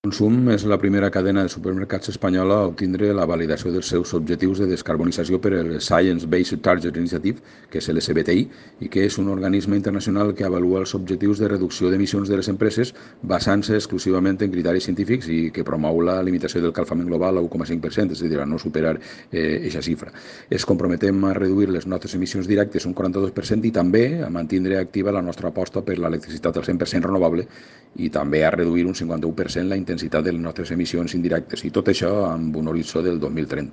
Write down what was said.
Consum és la primera cadena de supermercats espanyola a obtindre la validació dels seus objectius de descarbonització per el Science Based Targets initiative, que és l'SBTI, i que és un organisme internacional que avalua els objectius de reducció d'emissions de les empreses basant-se exclusivament en criteris científics i que promou la limitació del calfament global a 1,5%, és a dir, a no superar aquesta xifra. Es comprometem a reduir les nostres emissions directes un 42% i també a mantenir activa la nostra aposta per l'electricitat al 100% renovable i també a reduir un 51% la intensitat de les nostres emissions indirectes, i tot això amb un horitzó del 2030.